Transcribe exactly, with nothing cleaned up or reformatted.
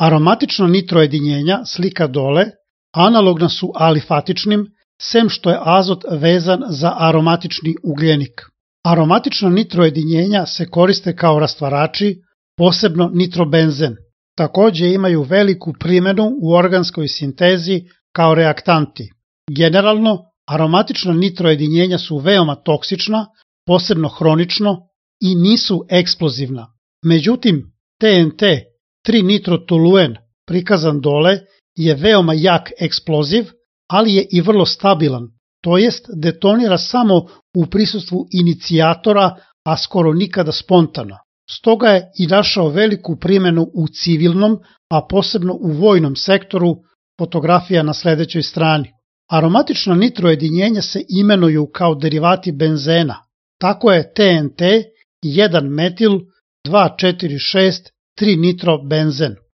Aromatična nitrojedinjenja, slika dole, analogna su alifatičnim, sem što je azot vezan za aromatični ugljenik. Aromatična nitrojedinjenja se koriste kao rastvarači, posebno nitrobenzen. Takođe imaju veliku primjenu u organskoj sintezi kao reaktanti. Generalno, aromatična nitrojedinjenja su veoma toksična, posebno hronično, i nisu eksplozivna. Međutim, T N T, tri nitrotoluen, prikazan dole, je veoma jak eksploziv, ali je i vrlo stabilan, to jest detonira samo u prisustvu inicijatora, a skoro nikada spontano. Stoga je i našao veliku primjenu u civilnom, a posebno u vojnom sektoru, fotografija na sledećoj strani. Aromatična nitrojedinjenja se imenuju kao derivati benzena. Tako je T N T jedan metil dva četiri šest tri nitrobenzen.